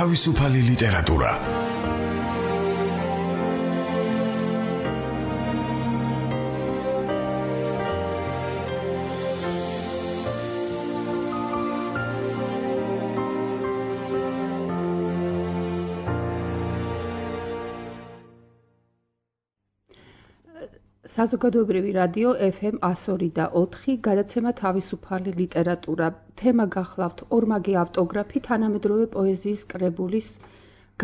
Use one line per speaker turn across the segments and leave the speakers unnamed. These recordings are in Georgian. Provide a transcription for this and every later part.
თავისუფალი ლიტერატურა.
საზოგადოებრივი რადიო FM 102.4 გადაცემა თავისუფალი ლიტერატურა. თემა გახლავთ ორმაგი ავტოგრაფი თანამედროვე პოეზიის კრებულის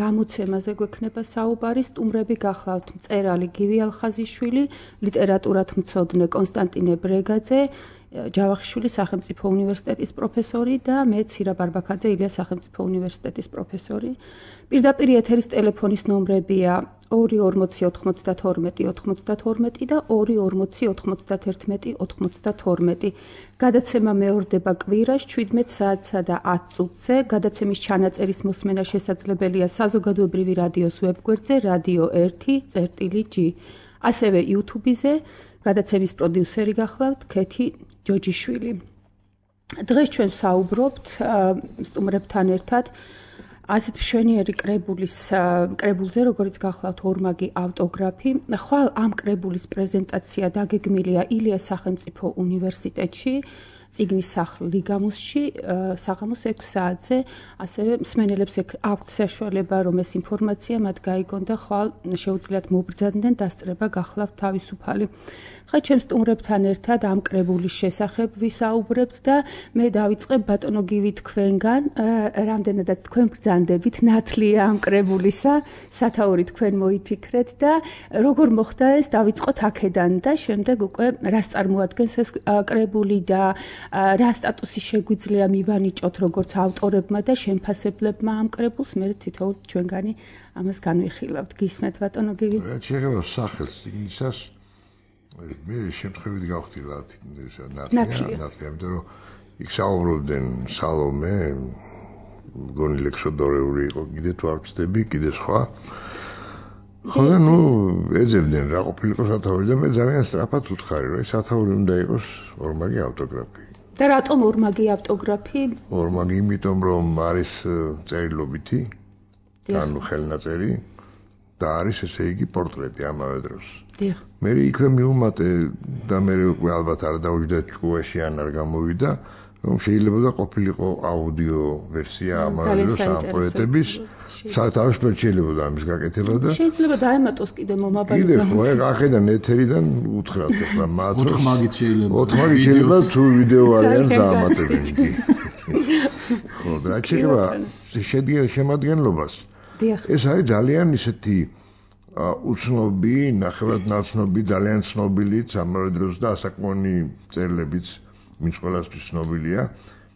გამოცემაზე გვექნება საუბარი. სტუმრები გახლავთ მწერალი გივი ალხაზიშვილი, ლიტერატურათმცოდნე კონსტანტინე ბრეგაძე, ჯავახიშვილის სახელმწიფო უნივერსიტეტის პროფესორი და მე ცირა ბარბაქაძე ილიას სახელმწიფო უნივერსიტეტის პროფესორი. პირდაპირ ეთერის ტელეფონის ნომრებია 240-92-92 და 240-91-92. გადაცემა მეორდება კვირას 17 საათსა და 10 წუთზე. გადაცემის ჩანაწერის მოსმენა შესაძლებელია საზოგადოებრივი რადიოს ვებგვერდზე Radio 1.G. ასევე YouTube-ზე. გადაცემის პროდიუსერი გახლავთ ქეთი ჯოჯიშვილი. დღეს ჩვენ საუბრობთ სტუმრებთან ერთად ასეთ მშვენიერი კრებულზე, როგორც გახლავთ ორმაგი ავტოგრაფი. ხვალ ამ კრებულის პრეზენტაცია დაგეგმილია ილიას სახელმწიფო უნივერსიტეტში, წიგნის სახლ ლიგამუსში, საღამოს 6 საათზე. ასევე მსმენელებს აქვთ საშუალება, რომ ეს ინფორმაცია მათ გაიგონ და ხვალ შეუძლიათ მობრძანდნენ დასწრება გახლავთ თავისუფალი. ხა ჩემ სტუმრებთან ერთად ამ კრებულის შესახებ ვისაუბრებთ და მე დავიწყებ ბატონო გივი თქვენგან, რამდენადაც თქვენ ბრძანდებით ნათლია ამ კრებულისა, სათაური თქვენ მოიფიქრეთ და როგორ მოხდა ეს, დავიწყოთ აქედან და შემდეგ უკვე რას წარმოადგენს ეს კრებული და რა სტატუსი შეგვიძლია მივანიჭოთ როგორც ავტორებმა და შემფასებლებმა ამ კრებულს, მე თითოეულ ჩვენგანი ამას განვიხილავთ. გისმენთ ბატონო გივი?
რა შეიძლება სახელს წიგნისას მე შემთხვევით გავხდილა ნათლია, იმიტომ რომ იქ საუბრობდნენ სალომე, მგონი ლექსოდორეული იყო, კიდე თუ არ ვცდები, კიდე სხვა. ხოლო ეძებდნენ რა ყოფილიყო სათაური და მე ძალიან სწრაფად ვუთხარი, რომ ეს სათაური უნდა იყოს ორმაგი ავტოგრაფი.
და რატომ ორმაგი ავტოგრაფი?
ორმაგი იმიტომ რომ არის წერილობითი, ანუ ხელნაწერი და არის ესე იგი პორტრეტი ამავე დროს. მე იქვე მიუმატე და მე უკვე ალბათ არ დავიჯდა ჭკუაში ან არ გამოვიდა, რომ შეიძლება ყოფილიყო აუდიო ვერსია ამავე დროს ამ პოეტების, თავისუფლად შეიძლება ამის გაკეთება და
შეიძლება დაემატოს კიდე მომაბალი.
კიდე ხო, აქედან ეთერიდან უთხრათ ახლა მათ
ოთხმაგით შეიძლება.
ოთხმაგით შეიძლება თუ ვიდეო არიან დაამატებენ კი. ხო, და შეიძლება შედგენ შემადგენლობას. ეს არის ძალიან ისეთი უცნობი, ნახევრად ნაცნობი, ძალიან ცნობილიც ამავე დროს და ასაკმონი წერლებიც ვინც ყველასთვის ცნობილია,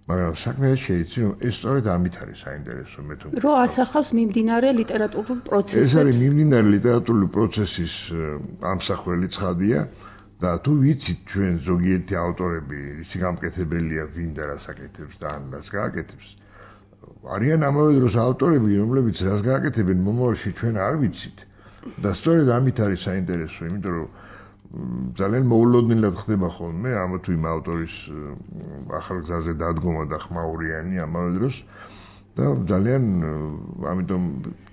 მაგრამ საქმე შეიცი, რომ ეს სწორედ ამით არის საინტერესო მე თვითონ.
რო ასახავს მიმდინარე ლიტერატურულ პროცესს.
ეს არის მიმდინარე ლიტერატურული პროცესის ამსახველი ცხადია და თუ ვიცით ჩვენ ზოგიერთი ავტორები, ისი გამკეთებელია, ვინ და რას აკეთებს და ან რას გააკეთებს. არიან ამავე დროს ავტორები, რომლებიც რას გააკეთებენ მომავალში ჩვენ არ ვიცით. და სწორედ ამით არის საინტერესო, იმიტომ რომ ძალიან მოულოდნელად ხდება ხოლმე ამ თუ იმ ავტორის ახალგზაზე დადგომა და ხმაურიანი ამავე დროს და ძალიან ამიტომ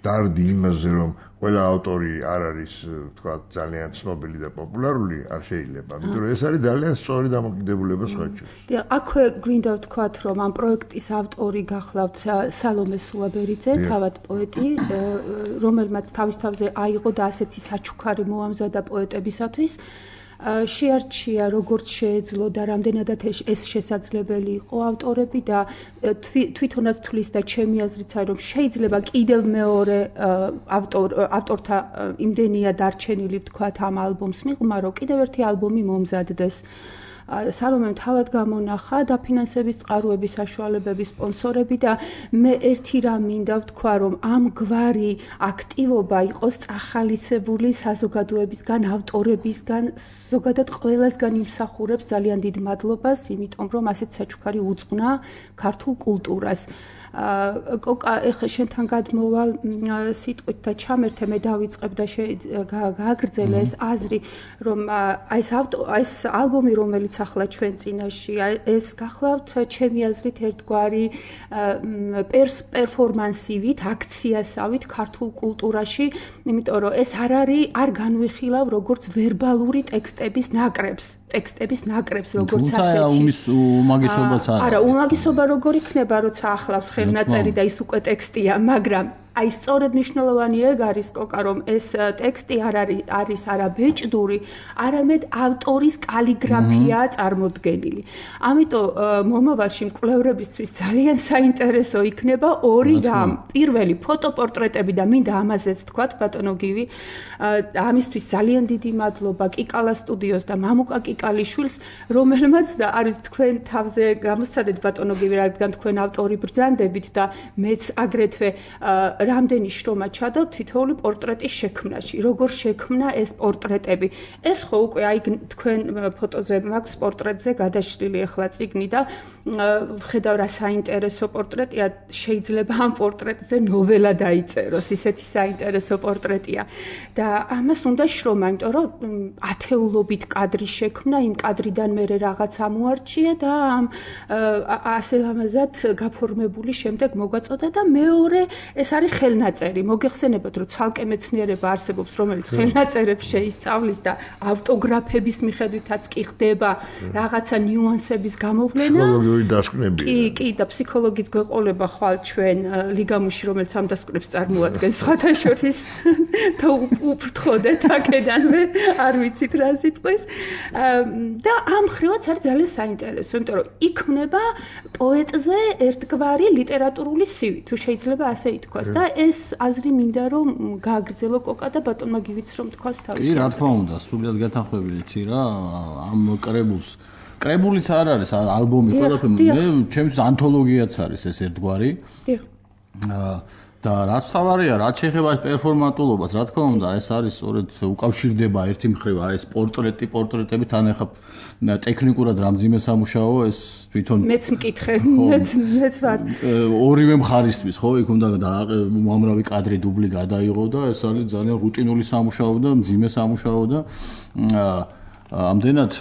დარდი იმაზე რომ ყველა ავტორი არ არის თქვა ძალიან ცნობილი და პოპულარული არ შეიძლება, იმიტომ რომ ეს არის ძალიან სწორი დამოკიდებულება სხვა ჩვენს.
აქვე გვინდა ვთქვათ, რომ ამ პროექტის ავტორი გახლავთ სალომე სულაბერიძე, თავად პოეტი, რომელმაც თავის თავზე აიღო და ასეთი საჩუქარი მოამზადა პოეტებისათვის. შეარჩია როგორც შეეძლო და რამდენადაც ეს შესაძლებელი იყო ავტორები და თვითონაც თulis და ჩემი აზრიც არის რომ შეიძლება კიდევ მეორე ავტორთა იმდენია დარჩენილი ვთქვათ ამ ალბომს მიღმა რომ კიდევ ერთი ალბომი მომზადდეს. სალომემ თავად გამონახა დაფინანსების წყაროების საშუალებების სპონსორები და მე ერთი რამ მინდა ვთქვა რომ ამგვარი აქტივობა იყოს წახალისებული საზოგადოებისგან, ავტორებისგან, ზოგადად ყველასგან იმსახურებს ძალიან დიდ მადლობას, იმიტომ რომ ასეთ საჩუქარი უძღვნა ქართულ კულტურას. კოკა, ეხლა შენთან გადმოვალ სიტყვით და ჩამერთე, მე დავიწყებ და გააგრძელე ეს აზრი, რომ ეს ალბომი, რომელიც ახლა ჩვენ წინაშე. ეს გახლავთ ჩემი აზრით ერთგვარი პერფორმანსივით, აქციასავით ქართულ კულტურაში, იმიტომ რომ ეს არ განვიხილავ როგორც ვერბალური ტექსტების ნაკრებს, როგორც ასეთი.
უმაგისობაც
არა, უმაგისობა როგორ იქნება, როცა ახლავს ხელნაწერი და ის უკვე ტექსტია, მაგრამ აი სწორედ მნიშვნელოვანი ეგ არის კოკა, რომ ეს ტექსტი არ არის არა ბეჭდური, არამედ ავტორის კალიგრაფიაა წარმოდგენილი. ამიტომ მომავალში მკვლევრებისთვის ძალიან საინტერესო იქნება ორი რამ. პირველი ფოტოპორტრეტები და მინდა ამაზეც თქვათ ბატონო გივი, ამისთვის ძალიან დიდი მადლობა კიკალა სტუდიოს და მამუკა კიკალიშვილს, რომელმაც და არის თქვენ თავზე გამოსცადეთ ბატონო გივი, რადგან თქვენ ავტორი ბრძანდებით და მეც აგრეთვე რამდენი შრომა ჩადოთ თითოეული პორტრეტის შექმნაში. როგორ შექმნა ეს პორტრეტები? ეს ხო უკვე აი თქვენ ფოტოზე მაქვს პორტრეტზე გადაშლილი ახლა წიგნი და ვხედავ რა საინტერესო პორტრეტია, შეიძლება ამ პორტრეტზე ნოველა დაიწეროს, ისეთი საინტერესო პორტრეტია. და ამას უნდა შრომა, იმიტომ რომ ათეულობით კადრი შექმნა, იმ კადრიდან მერე რაღაც ამოარჩია და ასე ლამაზად გაფორმებული შემდეგ მოგვაწოდა და მეორე ეს არის ხელნაწერი. მოგეხსენებათ, რომ ცალკე მეცნიერება არსებობს, რომელიც ხელნაწერებს შეისწავლის და ავტოგრაფების მიხედვითაც კი ხდება რაღაცა ნიუანსების გამოვლენა.
ფსიქოლოგიური დასკვნები.
კი, და ფსიქოლოგიც გვეყოლება ხვალ ჩვენ ლიგამუში, რომელიც ამ დასკვნებს წარმოადგენს სხვათა შორის და უფრთხოდეთ აქედანვე, არ ვიცით რა სიტყვის. და ამ ხრივაც არის ძალიან საინტერესო, იმიტომ რომ იქმნება პოეტზე ერთგვარი ლიტერატურული სივი, თუ შეიძლება ასე ითქვას. და ეს აზრი მინდა რომ გააგრძელო კოკა და ბატონმა გივიც რომ თქვას თავის.
კი, რა თქმა უნდა, სრულიად გათანხმებიდი რა ამ კრებულიც არ არის ალბომი, ყველაფერი, მე ჩემთვის ანთოლოგიაც არის ეს ერთგვარი.
დიახ.
და რაც თავარია, რაც შეეხება პერფორმატულობას, რა თქმა უნდა, ეს არის სწორედ უკავშირდება ერთი მხრივ ეს პორტრეტები თან ახლა ტექნიკურად რამძიმე სამუშაო, ეს თვითონ
მეც მკითხე, მეც ვარ.
ორივე მხარისთვის, ხო, იქ უნდა უამრავი კადრი დუბლი გადაიღო და ეს არის ძალიან რუტინული სამუშაო და მძიმე სამუშაო და ამდენად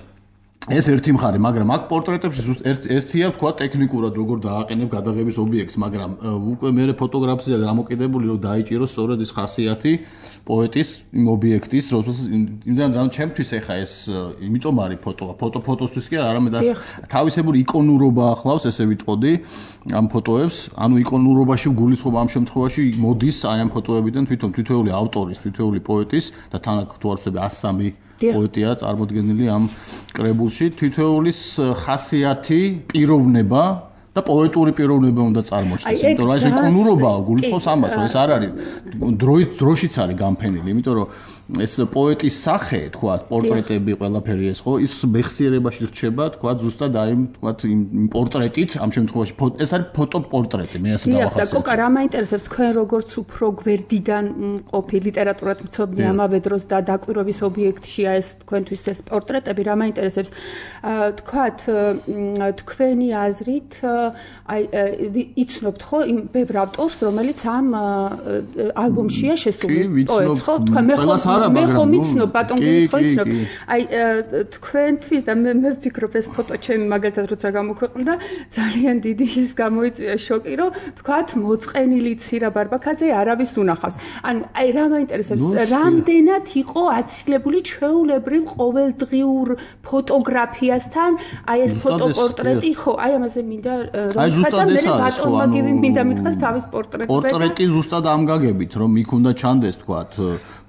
ეს ერთი მხარე, მაგრამ აქ პორტრეტებში ერთია თქვა ტექნიკურად როგორ დააყენებ გადაღების ობიექტს, მაგრამ უკვე მე ფოტოგრაფია დამოკიდებული რომ დაიჭიროს სწორედ ის ხასიათი პოეტის იმ ობიექტის, რომ ჩემთვის ეხა ეს იმიტომ არის ფოტოსთვის კი არამედ თავისებური იკონურობა ახლავს, ესე ვიტყოდი ამ ფოტოებს, ანუ იკონურობაში გულისხმობა ამ შემთხვევაში მოდის აი ამ ფოტოებიდან თვითეული ავტორის, თითოეული პოეტის და თან აქ თუ არ ვცდები 103 პოეტია წარმოდგენილი ამ კრებულში, თითოეულის ხასიათი, პიროვნება და პოეტური პიროვნება უნდა წარმოჩნდეს. იმიტომ რომ ეს იკონურობაა, გულისხმობს ამას, რომ ეს არ არის დროშიც არის გამფენილი, იმიტომ რომ ეს პოეტის სახე, თქვა, პორტრეტები ყველაფერი ეს ხო, ის მეხსიერებაში რჩება, თქვა, ზუსტად აი, თქვა, იმ პორტრეტით, ამ შემთხვევაში ეს არის ფოტოპორტრეტი, მე ასე დავახასიათებ.
და კოკა, რა მაინტერესებს თქვენ როგორც უფრო გვერდიდან მყოფი ლიტერატურად მცოდნე ამავე დროს და დაკვირვების ობიექტშია ეს თქვენთვის ეს პორტრეტები, რა მაინტერესებს? თქვათ, თქვენი აზრით, აი, იცნობთ ხო იმ ბევრ ავტორს, რომელიც ამ ალბომშია შესული პოეტს, ხო? თქვა, მე ხომ იცნობ ბატონ გივის ხო იცნობ. აი თქვენთვის და მე ვფიქრობ ეს ფოტო ჩემი მაგალითად როცა გამოქვეყნდა ძალიან დიდი ის გამოიწვია შოკი რომ თქვათ მოწყენილი ცირა ბარბაქაძე არავის უნახავს. ანუ აი რა მაინტერესებს რამდენად იყო აცილებული ჩვეულებრივ ყოველდღიურ ფოტოგრაფიასთან აი ეს ფოტოპორტრეტი ხო აი ამაზე მინდა რომ ხათა მე ბატონმა გივი მინდა მითხრას თავის პორტრეტზე.
პორტრეტი ზუსტად ამ გაგებით რომ იქ უნდა ჩანდეს თქვათ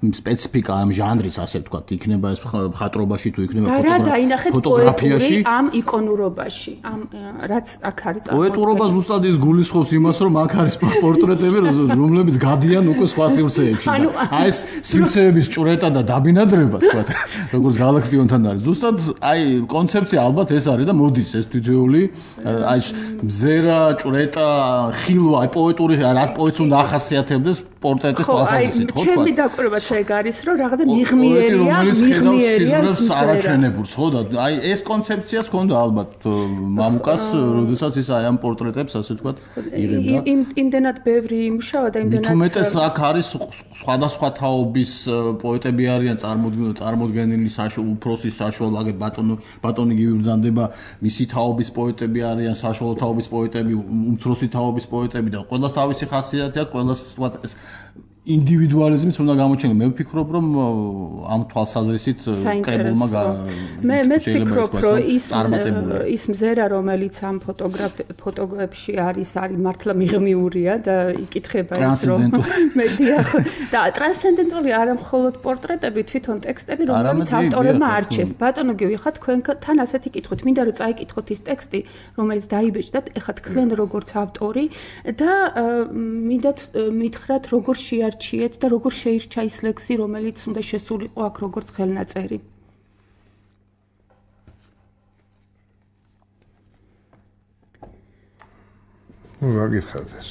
სპეციფიკა ამ ჟანრის ასე ვთქვათ, იქნება ეს მხატვრობაში თუ იქნება
ფოტოგრაფიაში, ამ იკონურობაში, ამ რაც აქ არის.
პოეტურობა ზუსტად ის გულისხმობს იმას, რომ აქ არის პორტრეტები, რომლებიც გადიან უკვე სხვა სივრცეებში. აი ეს სივრცეების ჭრეტა და დაბინადრება, ვთქვათ, როგორც გალაქტიონთან არის. ზუსტად აი კონცეფცია ალბათ ეს არის და მოდის ეს თითოეული აი მზერა, ჭრეტა, ხილვა, აი პოეტური რა პოეტს უნდა ახასიათებდეს პორტრეტის თვალსაზრისით,
ხო, ჩემი დაკვირვაც ეგ არის, რომ რაღაცა მიღმიერია
არაჩვენებულს, ხო და აი ეს კონცეფციაც ჰქონდა ალბათ მამუკას, როდესაც ის აი ამ პორტრეტებს ასე ვთქვათ იღებდა.
იმდენად ბევრი იმუშავა და იმდენად
თუმეტეს აქ არის სხვადასხვა თაობის პოეტები არიან წარმოდგენილი უფროსის საშუალო აგერ ბატონი გიბრძანდება მისი თაობის პოეტები არიან საშუალო თაობის პოეტები უმცროსი თაობის პოეტები და ყველას თავისი ხასიათი აქვს ყველას ინდივიდუალიზმიც უნდა გამოჩენილ. მე ვფიქრობ, რომ ამ თვალსაზრისით კრებულმა
მე ვფიქრობ, რომ ის მზერა, რომელიც ამ ფოტოგრაფებში არის მართლა მიღმიურია და იკითხება ის, რომ მედია და ტრანსცენდენტული არა მხოლოდ პორტრეტები, თვითონ ტექსტები, რომელიც ავტორებმა არჩიეს. ბატონო გივი, ხა თქვენთან ასეთი კითხვით, მინდა რომ წაიკითხოთ ის ტექსტი, რომელიც დაიბეჭდათ, ეხლა თქვენ როგორც ავტორი და მინდათ მითხრათ, როგორ არჩიეთ და როგორ შეირჩა ის ლექსი, რომელიც უნდა შესულიყო აქ როგორც ხელნაწერი.
რა გითხარით ეს?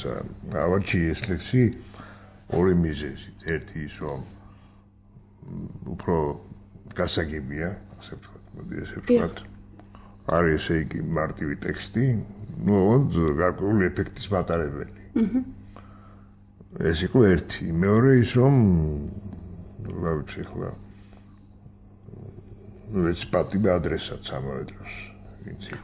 ავარჩიე ეს ლექსი ორი მიზეზით. ერთი ის, რომ უფრო გასაგებია, ასე ვთქვათ, მოდი ესე ვთქვათ. არის ესე იგი მარტივი ტექსტი, ნუ გარკვეული ეფექტის მატარებელი. ეს იყო ერთი. მეორე ის, რომ რა ვიცი ახლა ეს პატივი ადრესატს ამავე დროს.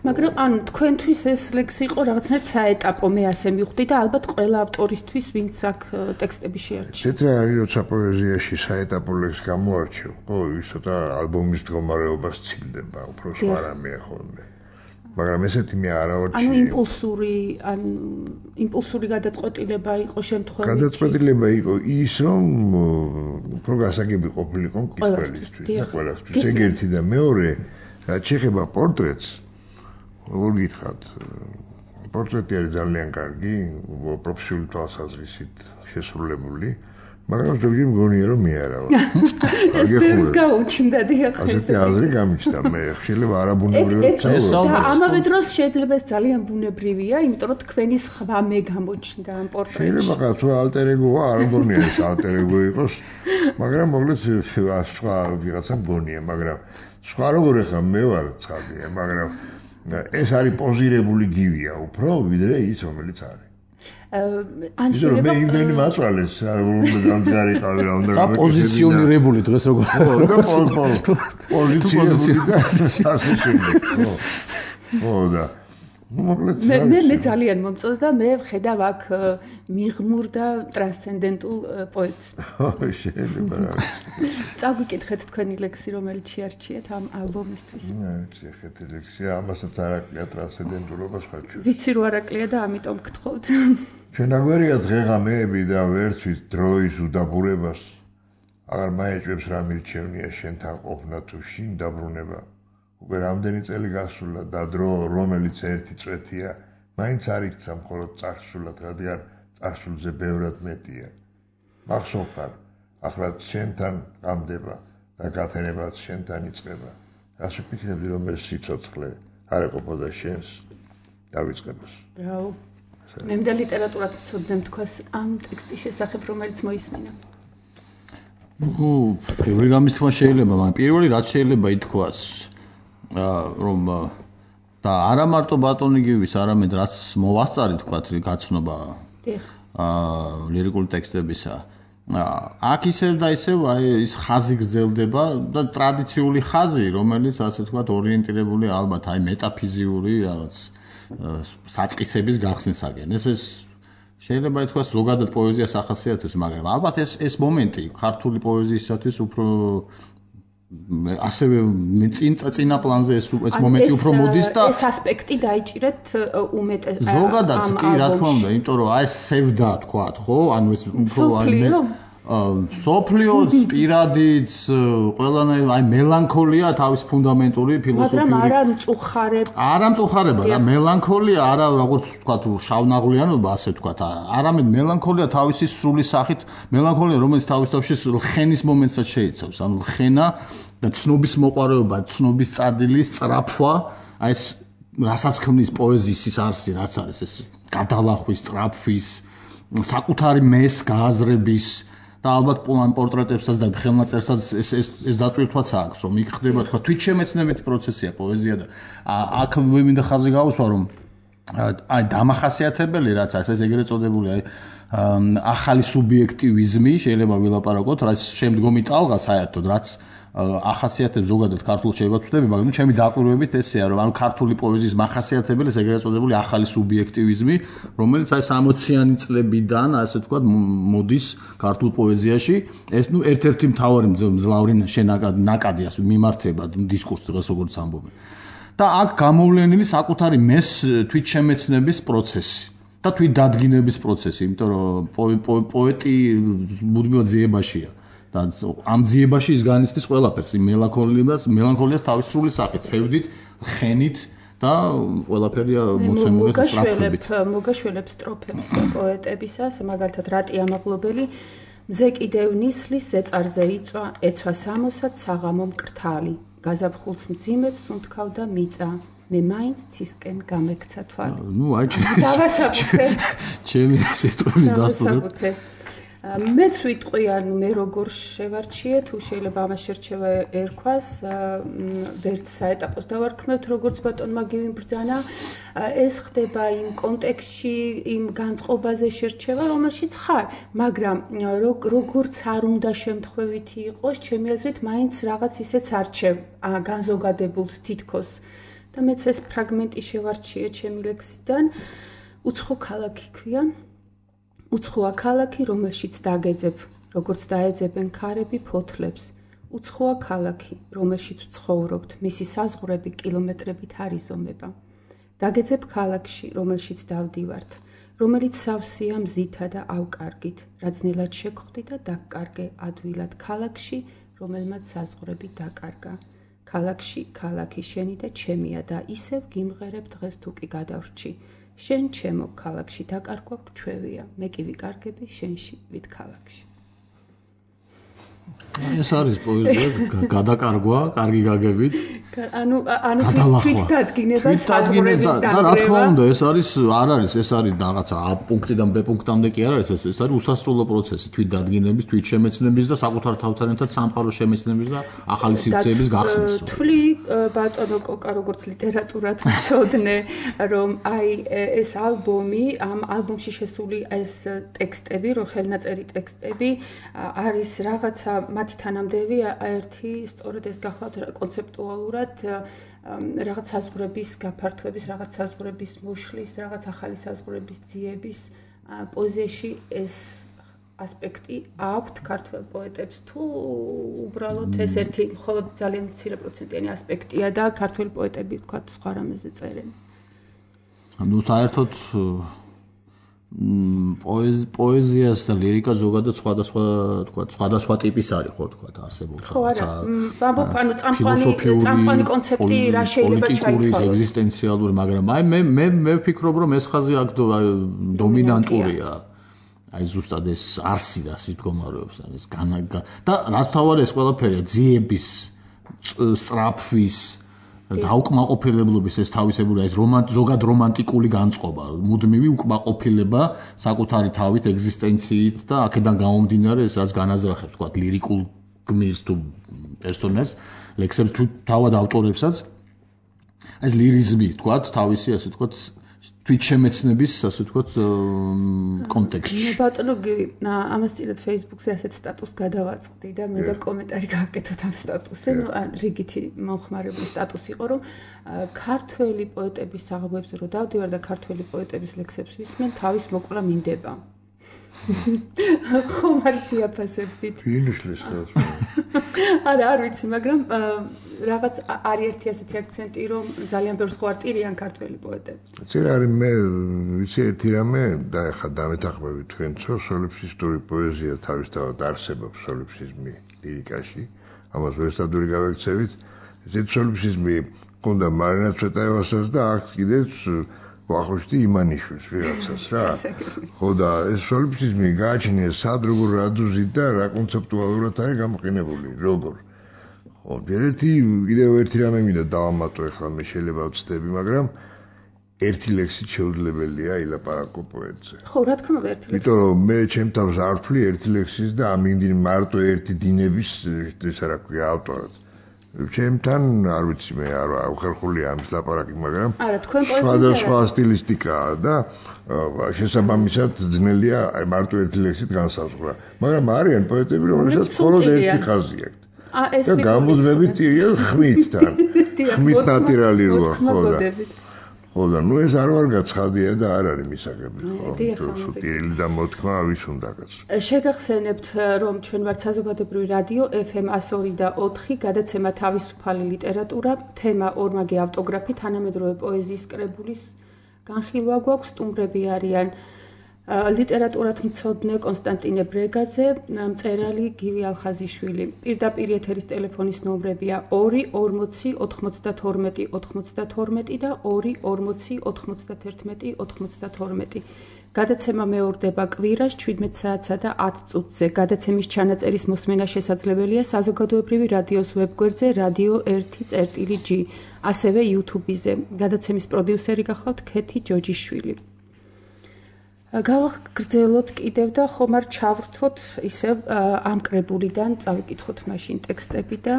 მაგრამ ანუ თქვენთვის ეს ლექსი იყო რაღაცნაირად საეტაპო, მე ასე მივხვდი და ალბათ ყველა ავტორისთვის, ვინც აქ ტექსტები შეარჩია.
ეს რა არის, როცა პოეზიაში საეტაპო ლექსი გამოარჩევ, ხო, ის ცოტა ალბომის მდგომარეობას ცილდება, უფრო სხვა რამეა ხოლმე. მაგრამ ესეთი მე არ ავარჩიე.
ანუ იმპულსური გადაწყვეტილება იყო შემთხვევაში.
გადაწყვეტილება იყო ის, რომ უფრო გასაგები ყოფილიყო მკითხველისთვის და ყველასთვის. ეგ ერთი და მეორე, რაც შეეხება პორტრეტს, როგორ გითხრათ, პორტრეტი არის ძალიან კარგი, პროფესიული თვალსაზრისით შესრულებული. მაგრამ ზოგჯერ მგონია რომ მე არა ვარ.
ეს გაუჩნდა დიახ.
ასეთი აზრი გამიჩნდა მე. შეიძლება არაბუნებრივად
და ამავე დროს შეიძლება ეს ძალიან ბუნებრივია, იმიტომ რომ თქვენი სხვა მე გამოჩნდა ამ პორტრეტში.
შეიძლება თუ ალტერ-ეგოა, არ მგონია ეს ალტერ-ეგო იყოს, მაგრამ მოკლედ სხვა ვიღაცა მგონია, მაგრამ სხვა როგორ ახლა მე ვარ ცხადია, მაგრამ ეს არის პოზირებული გივია უფრო ვიდრე ის რომელიც არის.
ან შეიძლება
მე იმდენი მაწვალეს, რომ გარიყავი რა უნდა
და პოზიციონირებული დღეს როგორ
პოზიციონირებული და ასე შემდეგ. ხო და
მე ძალიან მომწონდა და მე ვხედავ აქ მიღმურ და ტრანსცენდენტულ პოეტს.
შეიძლება რა.
წაგვიკითხეთ თქვენი ლექსი, რომელიც შეარჩიეთ ამ ალბომისთვის.
შეხეთ ლექსი, ამასაც არ აკლია ტრანსცენდენტულობას ხარჯავს.
ვიცი რომ არ აკლია და ამიტომ გთხოვთ.
ჩვენ აგვერია დღეღამეები და ვერცვით დროის უდაბურებას. აღარ მაეჭვებს რა მირჩევნია შენთან ყოფნა თუ შინ დაბრუნება. უკვე რამდენი წელი გასულა და დრო რომელიც ერთი წვეთია, მაინც არ იქცა მხოლოდ წარსულად, რადგან წარსულზე ბევრად მეტია. მახსოვს ხარ, ახლა შენთან გამდება და გათენებაც შენთან იწყება. რას ვფიქრები რომ ეს სიცოცხლე არ ეყოფოდა შენს დავიწყებას.
ბრავო. მე მდა ლიტერატურად ვცოდნեմ თქვას ამ ტექსტის შესახებ, რომელიც მოისმინა.
ბევრი რამის თქმა შეიძლება, მაგრამ პირველი რაც შეიძლება ითქვას რომ და არა მარტო ბატონი გივის, არამედ რაც მოვასწარი თქვათ გაცნობა ლირიკული ტექსტებისა. აქ ისევ და ისევ ის ხაზი გრძელდება და ტრადიციული ხაზი, რომელიც ასე თქვათ ორიენტირებული ალბათ მეტაფიზიური რაღაც საწყისების გახსნისაგან. ეს შეიძლება ითქვას ზოგადად პოეზიას ახასიათებს, მაგრამ ალბათ ეს მომენტი ქართული პოეზიისათვის უფრო ასევე წინა პლანზე ეს მომენტი უფრო მოდის და
ეს ასპექტი დაიჭირეთ უმეტეს
ზოგადად კი რა თქმა უნდა, იმიტომ რომ ეს სევდა თქვათ, ხო? ანუ ეს უფრო სოფლიოც, პირადიც, ყველანაირ მელანქოლია თავის ფუნდამენტური ფილოსოფიური.
მაგრამ არა მწუხარება.
არა მწუხარება, რა მელანქოლია, არა როგორც თქვათ შავნაღლიანობა, ასე თქვათ, არამედ მელანქოლია თავისი სრული სახით, მელანქოლია რომელიც თავის თავში ლხენის მომენტსაც შეიცავს. ანუ ლხენა და ცნობის მოყვარეობა, ცნობის წადილის სწრაფვა, აი ეს რასაც ქმნის პოეზიის ის არსი, რაც არის ეს გადალახვის, სწრაფვის საკუთარი მეს გააზრების და ალბათ პორტრეტებსაც და ხელნაწერსაც ეს დატვირთვაც აქვს, რომ იქ ხდება თქვა თვითშემეცნებითი პროცესია პოეზია და აქ მე მინდა ხაზი გავუსვა, რომ აი დამახასიათებელი რაც არის ეს ეგრეთ წოდებული აი ახალი სუბიექტივიზმი შეიძლება ვილაპარაკოთ, რაც შემდგომი ტალღა საერთოდ რაც ახასიათებს ზოგადად ქართულ შეიძლება ვწდები, მაგრამ ჩემი დაკვირვებით ესეა, რომ ანუ ქართული პოეზიის მახასიათებელი ეს ეგრეთ წოდებული ახალი სუბიექტივიზმი, რომელიც აი 60-იანი წლებიდან, ასე ვთქვათ, მოდის ქართულ პოეზიაში. ეს ერთ-ერთი მთავარი მძლავრი ნაკადი ასე მიმართება დისკურსს დღეს როგორც ამბობენ. და აქ გამოვლენილი საკუთარი მეს თვითშემეცნების პროცესი და თვითდადგინების პროცესი, იმიტომ რომ პოეტი მუდმივად ძიებაშია. და ამ ძიებაში ის განიცდის ყველაფერს, მელანქოლიას თავის სრული სახით, ცევდით, ხენით და ყველაფერია მოცემული სტროფებით.
მოგაშველებს სტროფებს პოეტებისას, მაგალითად რატი ამაღლობელი მზე კიდევ ნისლის ზეწარზე იწვა, ეცვა სამოსად საღამო მკრთალი, გაზაფხულს მძიმედ სუნთქავდა მიწა, მე მაინც ცისკენ გამექცა თვალი.
აი ჩემი სიტყვის დასტურებით.
მეც ვიტყვი, ანუ მე როგორ შევარჩიე, თუ შეიძლება ამას შერჩევა ერქვას, ვერც საეტაპოს დავარქმევთ, როგორც ბატონმა გივიმბრძანა, ეს ხდება იმ კონტექსტში, იმ განწყობაზე შერჩევა, რომელშიც ხარ, მაგრამ როგორც არ უნდა შემთხვევითი იყოს, ჩემი აზრით, მაინც რაღაც ისეც არჩევ, განზოგადებულს თითქოს. და მეც ეს ფრაგმენტი შევარჩიე ჩემი ლექსიდან, უცხო ქალაქი ქვია. უცხოა ქალაქი, რომელშიც დაგეძებ, როგორც დაეძებენ ქარები ფოთლებს. უცხოა ქალაქი, რომელშიც ცხოვრობთ, მისი საზღვრები კილომეტრებით არ იზომება. დაგეძებ ქალაქში, რომელშიც დავდივართ, რომელიც სავსეა მზითა და ავკარგით, რაძნელად შეგხვდი და დაგკარგე ადვილად ქალაქში, რომელმაც საზღვრები დაკარგა. ქალაქში, ქალაქი შენი და ჩემია და ისევ გიმღერებ დღეს თუ კი გადავრჩი. შენ ჩემო ქალაქში დაკარგვა გჩვევია, მე კი ვიკარგები შენში ვით ქალაქში.
ეს არის პოეზია, გადაკარგვა, კარგი გაგებით.
ანუ თვითდადგინება, საზღვრების
და რა თქმა უნდა, ეს არის რაღაცა A პუნქტიდან B პუნქტამდე კი არ არის, ეს არის უსასრულო პროცესი, თვითდადგინების, თვითშემეცნების და საკუთარ თავთან ერთად სამყაროს შემეცნების და ახალი სივრცეების გახსნის.
თვლი ბატონო კოკა, როგორც ლიტერატურად ვწოდნე, რომ აი ეს ალბომი, ამ ალბომში შესული ეს ტექსტები, რო ხელნაწერი ტექსტები არის რაღაცა მათი თანამდები ერთი სწორედ ეს გახლავთ კონცეპტუალურად რაღაც საზღვრების გაფართოების, რაღაც საზღვრების მოშლის, რაღაც ახალი საზღვრების ძიების პოეზიაში ეს ასპექტი აქვთ ქართველ პოეტებს თუ უბრალოდ ეს ერთი მხოლოდ ძალიან მცირე პროცენტიანი ასპექტია და ქართველ პოეტები თქვა სხვა რამეზე წერენ.
ანუ საერთოდ პოეზიას და ლირიკა ზოგადად სხვადასხვა ტიპის არის, ხო თქვა, არსებობს.
ხო არა, ანუ წამყვანი კონცეფტი რა შეიძლება ჩაითვალოს.
პოლიტიკური, ეგზისტენციალური, მაგრამ აი მე ვფიქრობ, რომ ეს ხაზი აქ დომინანტურია. აი ზუსტად ეს არსი და სიტყვამარებს არის და რაც თავარი ეს ყველაფერია ძიების, სწრაფვის დაუკმაყოფილებლობის ეს თავისებური ეს ზოგად რომანტიკული განწყობა, მუდმივი უკმაყოფილება საკუთარი თავით, ეგზისტენციით და აქედან გამომდინარე ეს რაც განაზრახებს, თქვა ლირიკულ გმირს თუ პერსონაჟს, ლექსებს თუ თავად ავტორებსაც ეს ლირიზმი, თქვა თავისი ასე თქვა თვითშემეცნების ასე ვთქვათ კონტექსტში.
ბატონო გივი, ამას წილად Facebook-ზე ასეთ სტატუსს გადავაწყდი და მე და კომენტარი გავაკეთოთ ამ სტატუსზე. ნუ რიგითი მომხმარებლის სტატუსი იყო, რომ ქართველი პოეტების საღამოებზე რო დავდივარ და ქართველი პოეტების ლექსებს ვისმენ, თავის მოკლა მინდება. ხომ არ შეაფასებდით?
ფინიშლის ხალხს.
არა, არ ვიცი, მაგრამ რაღაც არის ერთი ასეთი აქცენტი, რომ ძალიან ბევრს ხვარტირიან ქართველი პოეტები.
წერა არის მე ვიცი ერთი რამე და ახლა დამეთანხმებით თქვენцо, სოლიფსისტური პოეზია თავისთავად არსებობს სოლიფსიზმი ლირიკაში. ამას ვერსტადური გავექცევით. ეს სოლიფსიზმი ყუნდა მარინა ცვეტაევასაც და აქ კიდეც ვახუშტი იმანიშვილს ვიღაცას რა. ხო და ეს სოლიფსიზმი გააჩნია სად როგორ რადუზით და რა კონცეპტუალურად არის გამოყენებული, როგორ. ხო, კიდევ ერთი რამე მინდა დავამატო, ახლა მე შეიძლება ვწდები, მაგრამ ერთი ლექსით შეუძლებელია ილაპარაკო პოეტზე.
ხო, რა თქმა უნდა, ერთი ლექსი.
იმიტომ რომ მე ჩემ თავს არ ვთვლი ერთი ლექსის და ამინდი მარტო ერთი დინების ესა რა ქვია ავტორად. ჩემთან არ ვიცი მე არ ხერხულია ამის ლაპარაკი, მაგრამ
არა, თქვენ პოეზია
სხვადასხვა სტილისტიკაა და შესაბამისად ძნელია მარტო ერთი ლექსით განსაზღვრა. მაგრამ არიან პოეტები, რომელსაც მხოლოდ ერთი ხაზი აქვთ. და გამოზმებით ხმითთან. ხმით ნატირალი როა ხო და ხო და ნუ ეს არ ვარ გაცხადია და არ არის მისაღები ხო თუ ტირილი და მოთქმა ვის უნდა კაცო
შეგახსენებთ რომ ჩვენ ვართ საზოგადოებრივი რადიო FM 102 და 4 გადაცემა თავისუფალი ლიტერატურა თემა ორმაგი ავტოგრაფი თანამედროვე პოეზიის კრებულის განხილვა გვაქვს სტუმრები არიან ლიტერატურათ მცოდნე კონსტანტინე ბრეგაძე, მწერალი გივი ალხაზიშვილი. პირდაპირ ეთერის ტელეფონის ნომრებია 2 40 92 92 და 2 40 91 92. გადაცემა მეორდება კვირას 17 საათსა და 10 წუთზე. გადაცემის ჩანაწერის მოსმენა შესაძლებელია საზოგადოებრივი რადიოს ვებგვერდზე Radio 1.G, ასევე YouTube-ზე. გადაცემის პროდიუსერი გახლავთ ქეთი ჯოჯიშვილი. გავაგრძელოთ კიდევ და ხომ არ ჩავრთოთ ისევ ამ კრებულიდან წავიკითხოთ მაშინ ტექსტები და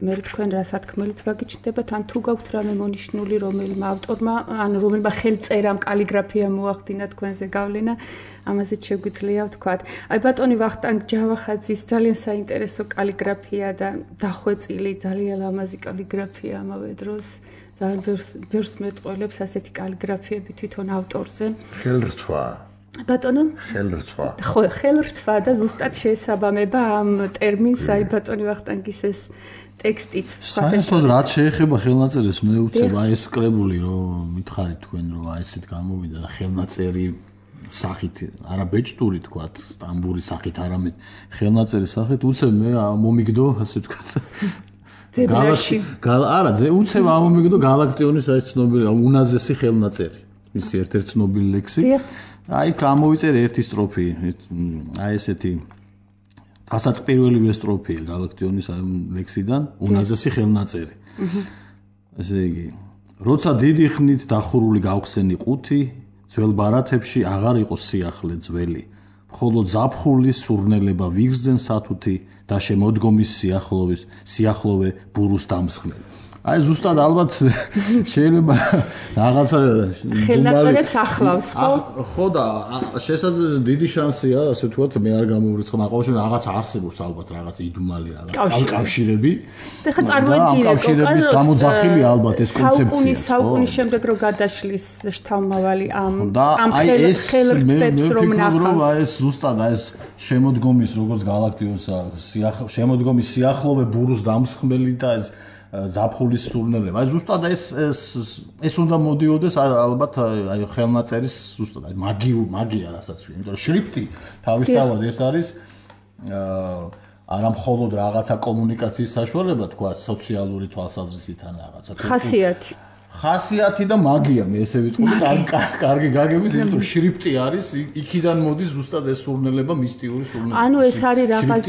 მე თქვენ რა სათქმელიც გაგიჩნდებათ ან თუ გაქვთ რამე მონიშნული რომელმა ავტორმა ან რომელმა ხელწერამ კალიგრაფია მოახდინა თქვენზე გავლენა ამაზე შეგვიძლია ვთქვათ. აი ბატონი ვახტანგ ჯავახაძის ძალიან საინტერესო კალიგრაფია და დახვეწილი ძალიან ლამაზი კალიგრაფია ამავე დროს ძალიან ბევრს მეტყველებს ასეთი კალიგრაფიები თვითონ ავტორზე.
ხელრთვა
ბატონო
ხელრთვა
ხო ხელრთვა და ზუსტად შეესაბამება ამ ტერმინს აი ბატონი ვახტანგის ეს ტექსტიც
საერთოდ რაც შეეხება ხელნაწერის მე უცებ აი ეს კრებული რომ მითხარით თქვენ რომ აი ესეთ გამოვიდა და ხელნაწერი სახით არა ბეჭდური თქვათ სტამბური სახით არამედ ხელნაწერი სახით უცებ მე მომიგდო ასე თქვათ
ძებნაში
არა უცებ ამომიგდო გალაქტიონის აი ცნობილი უნაზესი ხელნაწერი მისი ერთ-ერთი ცნობილი ლექსი აი გამოვიწერე ერთი სტროფი აი ესეთი დასაწყირველივე სტროფი გალაქტიონის აი ლექსიდან უნაზესი ხელნაწერი ესე იგი როცა დიდი ხნით დახურული გავხსენი ყუთი ძველ ბარათებში აღარ იყო სიახლე ძველი მხოლოდ ზაფხულის სურნელება ვიგრძენ სათუთი და შემოდგომის სიახლოვე ბურუს დამსხმელი აი ზუსტად ალბათ შეიძლება რაღაცა
ხელნაწერებს ახლავს ხო?
ხო და შესაძლოა დიდი შანსია ასე ვთქვათ მე არ გამოვრიცხავ ყოველშემთხვევაში რაღაც არსებობს ალბათ რაღაც იდუმალი რაღაც კავშირები
და ხა წარმოიდგინეთ
კავშირების გამოძახილი ალბათ ეს კონცეფცია
საუკუნის შემდეგ რო გადაშლის შთამავალი ამ ხელრთვებს რომ ნახავს
აი ეს ზუსტად აი ეს შემოდგომის როგორც გალაქტიონის შემოდგომის სიახლოვე ბურუს დამსხმელი და ეს ზაფხულის სურნელება. აი ზუსტად ეს უნდა მოდიოდეს ალბათ აი ხელნაწერის ზუსტად აი მაგია რასაც ვი. იმიტომ რომ შრიფტი თავისთავად ეს არის არა მხოლოდ რაღაცა კომუნიკაციის საშუალება თქვა სოციალური თვალსაზრისით ან რაღაცა ხასიათი და მაგია მე ესე ვიტყვი კარგი გაგებით იმიტომ რომ შრიფტი არის იქიდან მოდის ზუსტად ეს სურნელება მისტიური სურნელება.
ანუ ეს არის რაღაც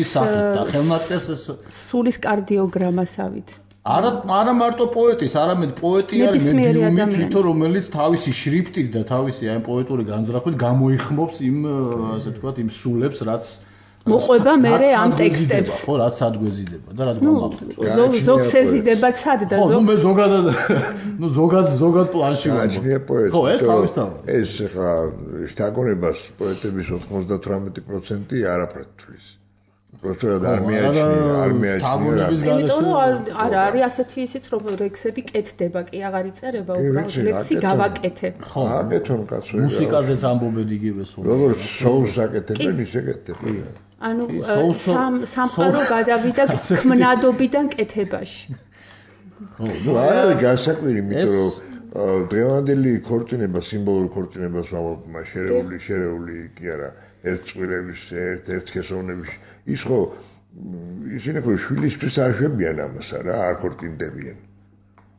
ხელნაწერს ეს
სულის კარდიოგრამასავით
არა მარტო პოეტის, არამედ პოეტი არის მედიუმი თვითონ, რომელიც თავისი შრიფტით და თავისი აი პოეტური განზრახვით გამოიხმობს იმ ასე ვთქვათ, იმ სულებს, რაც
მოყვება მერე ამ ტექსტებს.
ხო, რაც ადგვეზიდება და რაც გამახსოვს.
ზოგს ეზიდება ცად და
ზოგს. ხო, მე ზოგად პლანში ვარ.
აჩნია პოეტი.
ხო, ეს თავისთავად.
ეს ხა შთაგონებას პოეტების 98% არაფრად თვლის. პროცედურად არ მიაჩნია
იმიტომ რომ არა არის ასეთი ისიც რომ ლექსები კეთდება კი აღარ იწერება უბრალოდ ლექსი გავაკეთე
ხო აკეთონ კაცო
მუსიკაზეც ამბობენ იგივეს
როგორც სოულს აკეთებენ ისე კეთდებენ
ანუ სამყარო გადავიდა ქმნადობიდან კეთებაში
ხო ნუ არის გასაკვირი იმიტომ რომ დღევანდელი ქორწინება სიმბოლური ქორწინებას ვამბობ შერეული კი არა ერთწყვილების ერთსქესოვნების ის ხო ისინი ხო შვილისთვის არ შვებიან ამას რა არ ქორწინდებიან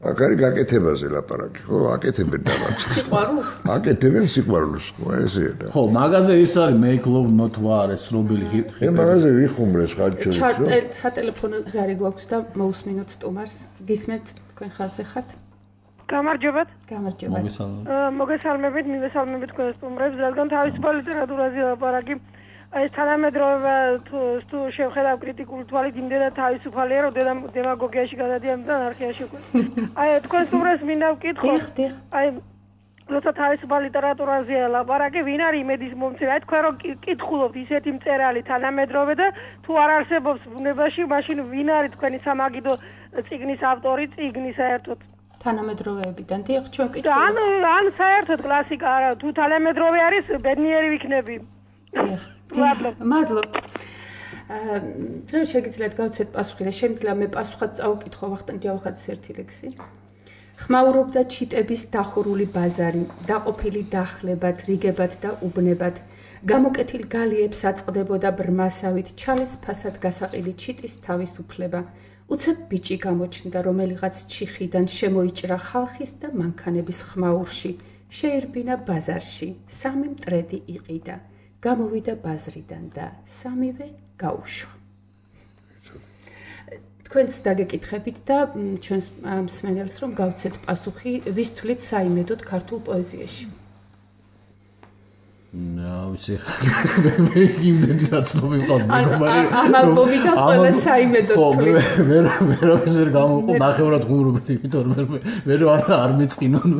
აქ არის გაკეთებაზე ლაპარაკი ხო აკეთებენ დამაც
სიყვარულს
აკეთებენ სიყვარულს ხო ესეა და
ხო მაგაზე ის არის make love not war ეს ცნობილი
ხე მაგაზე ვიხუმრეს ხაჭოებს
სატელეფონო ზარი გვაქვს და მოусმინოთ სტუმარს გისმენთ თქვენ ხალხზე ხართ
გამარჯობათ. მოგესალმებით, მივესალმებით თქვენს სტუმრებს, რადგან თავისუფალ ლიტერატურაზე ლაპარაკი ეს თანამედროვე თუ შევხედავ კრიტიკული თვალით იმდენად თავისუფალია, რომ დემაგოგიაში გადადიან და ანარქიაში. აი თქვენ სტუმრებს მინდა ვკითხო. აი როცა თავისუფალ ლიტერატურაზე ლაპარაკი, ვინ არის იმედის მომცემი? აი თქვენ რომ კითხულობთ ისეთი მწერალი თანამედროვე და თუ არ არსებობს ბუნებაში, მაშინ ვინ არის თქვენი სამაგიდო წიგნის ავტორი, წიგნის საერთოდ?
თანამედროვეებიდან დიახ, ჩვენ კითხულობთ.
ან საერთოდ კლასიკა არა, თუ თანამედროვე არის, ბედნიერი ვიქნები.
მადლობთ. ჩვენ შეგიძლიათ გავცეთ პასუხი და შემიძლია მე პასუხად წავუკითხო ვახტანგ ჯავახაძის ერთი ლექსი. ხმაურობდა ჩიტების დახურული ბაზარი, დაყოფილი დახლებად, რიგებად და უბნებად. გამოკეთილ გალიებს აწყდებოდა ბრმასავით, ჩალეს ფასად გასაყილი ჩიტის თავისუფლება. უცებ ბიჭი გამოჩნდა, რომელიღაც ჩიხიდან შემოიჭრა ხალხის და მანქანების ხმაურში, შეირბინა ბაზარში, სამი მტრედი იყიდა. გამოვიდა ბაზრიდან და სამივე გაუშვა. თქვენც დაგეკითხებით და ჩვენს მსმენელს რომ გავცეთ პასუხი, ვის თვლით საიმედოდ ქართულ პოეზიაში.
ვიცი მე იმდენი რაცნობი მყავს მეგობარი
ამ ალბომიდან ყველა საიმედოდ თვლით.
მე ვერ გამოყო ნახევრად ღუმრობით, იმიტომ რომ მე არ მეწყინონ.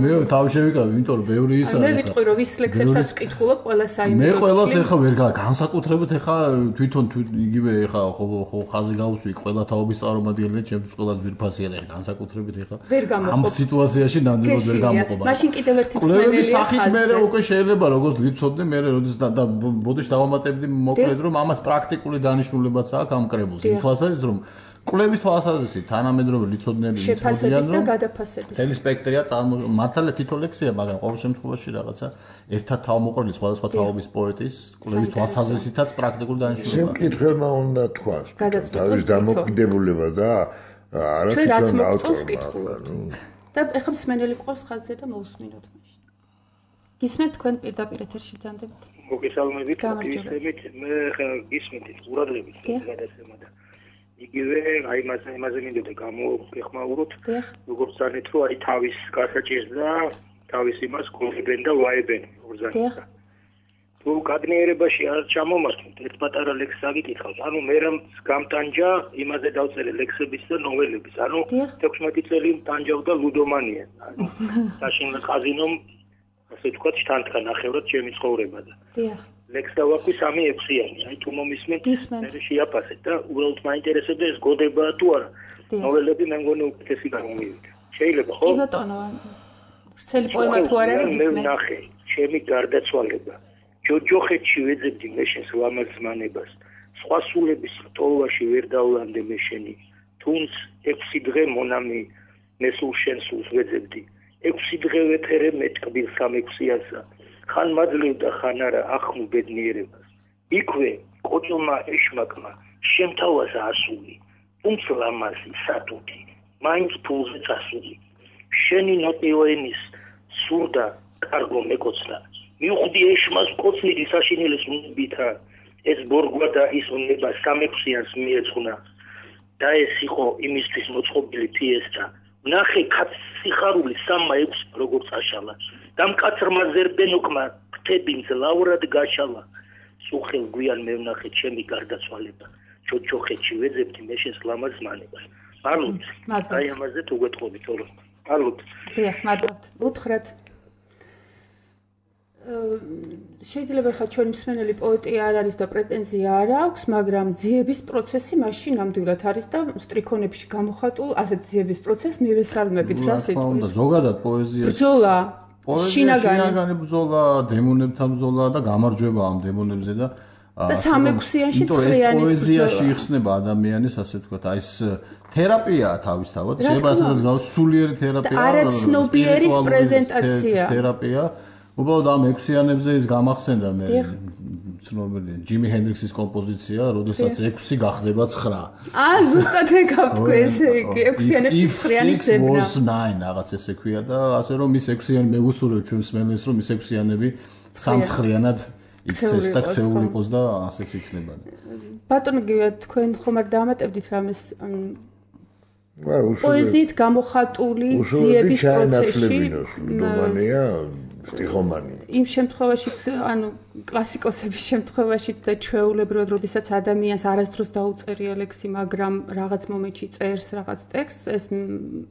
მე თავი შევიკავე, იმიტომ რომ ბევრი ის არის.
მე ვიტყვი რომ ვის ლექსებსაც ვკითხულობ, ყველა საიმედოდ.
მე ყველას ეხა ვერ განსაკუთრებით ეხა თვითონ იგივე ეხა ხო ხაზი გავუსვი ყველა თაობის წარმომადგენელი, ჩემთვის ყველა ძვირფასი არის განსაკუთრებით ეხა. ამ სიტუაციაში ნამდვილად ვერ გამოყოფა.
მაშინ კიდევ ერთი მსმენელია ხაზზე.
შეიძლება როგორც ლიცოდნე მე როდის და ბოდიში დავამატებდი მოკლედ რომ ამას პრაქტიკული დანიშნულებაც აქვს ამ კრებულს. იმ თვალსაზრისით რომ კვლევის თვალსაზრისით თანამედროვე ლიცოდნეები
შეფასების და გადაფასების
თელი სპექტრია მართალია თითო ლექსია, მაგრამ ყოველ შემთხვევაში რაღაცა ერთად თავმოყრილი სხვადასხვა თაობის პოეტის კვლევის თვალსაზრისითაც პრაქტიკული დანიშნულება.
შემკითხველმა უნდა თქვას თავის დამოკიდებულება და არა თვითონ ავტორმა.
და ეხლა მსმენელი ყავს ხაზზე და მოусმინოთ მაშინ. გისმენთ თქვენ პირდაპირ ეთერში ბრძანდებით?
მოგესალმებით, მოგესალმებით. მე გისმენთ ყურადღებით გადაცემა და იგივე აი იმაზე მინდოდა გამოგეხმაუროთ, როგორც ზანეთ რომ აი თავის გასაჭირს და თავის იმას გონებენ და ვაებენ ორზანისა. თუ გადნიერებაში არ ჩამომართვით, ერთ პატარა ლექსს აგიკითხავთ. ანუ მე რამ გამტანჯა იმაზე დავწერე ლექსების და ნოველების. ანუ 16 წელი ტანჯავდა ლუდომანია. ანუ საშინელ ყაზინომ ასე თქვა შთანთქა ნახევრად ჩემი ცხოვრება და ლექს დავაქვი 3-6-იანი. აი თუ მომისმენთ, მე შეაფასეთ და უბრალოდ მაინტერესებდა ეს გოდებაა თუ არა. ნოველები მე მგონი უკეთესი გამომივიდა. შეიძლება ხო?
კი ბატონო. ვრცელი პოემა თუ არ არის
მე ვნახე ჩემი გარდაცვალება. ჯოჯოხეთში ვეძებდი მე შენს ლამაზ ზმანებას. სხვა სულების რტოვაში ვერ დავლანდე მე შენი. თუნც 6 დღე მონამი მე სულ შენს სულს ვეძებდი. 6 დღე ვეთერე მე ტკბილ 3-6-იანსა. ხან მაძლევდა ხან არა ახმ ბედნიერებას. იქვე კოჭილმა ეშმაკმა შემთავაზა ასული. თუმც ლამაზი სატუთი მაინც ფულზე წასული. შენი ნოტიოენის სურდა კარგო მეკოცნა. მიუხვდი ეშმას კოცნილი საშინელის უნებითა. ეს ბორგვა და ის უნება 3-6-იანს მიეძღვნა. და ეს იყო იმისთვის მოწყობილი ფიესტა. ნახე კაც სიხარული 3-6 როგორც აშალა. დამკაცრმა ზერბენოკმა ქტებინს ლავრად გაშალა. სუხელ გვიან მე ვნახე ჩემი გარდაცვალება. ჯოჯოხეთში ვეძებდი მე შენს ლამაზ ზმანებას. მადლობთ. აი ამაზე თუ გეტყობით ორო. მადლობთ.
დიახ, მადლობთ. უთხრათ შეიძლება ხა ჩვენი მსმენელი პოეტი არ არის და პრეტენზია არ აქვს, მაგრამ ძიების პროცესი მაშინ ნამდვილად არის და სტრიქონებში გამოხატულ ასეთ ძიების პროცესს მივესალმებით რა სიტყვის.
ზოგადად პოეზიაში
ბრძოლა,
შინაგანი ბრძოლა, დემონებთან ბრძოლა და გამარჯვება ამ დემონებზე და
3-6-იანში ცხრიანის
პოეზიაში იხსნება ადამიანის ასე ვთქვათ, აი ეს თერაპია თავისთავად, შეიძლება ასაც გავს სულიერი თერაპია,
არაცნობიერის პრეზენტაცია.
თერაპია უბრალოდ ამ 6-იანებზე ის გამახსენდა მე ცნობილი ჯიმი ჰენდრიქსის კომპოზიცია, როდესაც 6 გახდება 9.
ზუსტად ეკავთქვი ესე იგი 6-იანებში 9-ის ძებნა.
was 9 რაღაც ესე ქვია და ასე რომ ის 6-იანი მე ვუსურვებ ჩვენს მსმენელს რომ ის 6-იანები 3-9-იანად იქცეს და ქცეული იყოს და ასეც იქნება.
ბატონო, თქვენ ხომ არ დაამატებდით რამეს პოეზიით გამოხატული ძიების პროცესში
რომანია სტიხომანია.
იმ შემთხვევაშიც, ანუ კლასიკოსების შემთხვევაშიც და ჩვეულებრივად, როდესაც ადამიანს არასდროს დაუწერია ლექსი, მაგრამ რაღაც მომენტში წერს რაღაც ტექსტს, ეს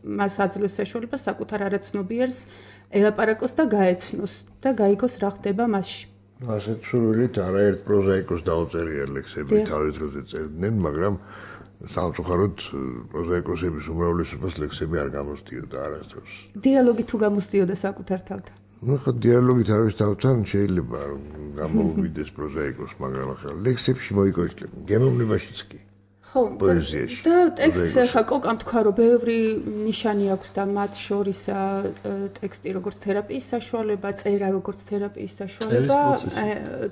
მას აძლევს საშუალებას საკუთარ არაცნობიერს ელაპარაკოს და გაეცნოს და გაიგოს რა ხდება მასში.
ასეთ სურვილით არაერთ პროზაიკოს დაუწერია ლექსები თავის დროზე წერდნენ, მაგრამ სამწუხაროდ პროზაიკოსების უმრავლესობას ლექსები არ გამოსდიოდა არასდროს.
დიალოგი თუ გამოსდიოდა საკუთარ თავთან.
ხო, დიალოგი თავის თავთან შეიძლება გამოუვიდეს პროზაიკოს, მაგრამ ახლა ლექსებში მოიკოჭლება, გემოვნებაშიც კი.
ხო,
პოეზიაში.
და ტექსტს ხა კოკამ თქვა, რომ ბევრი ნიშანი აქვს და მათ შორის ტექსტი როგორც თერაპიის საშუალება, წერა როგორც თერაპიის საშუალება,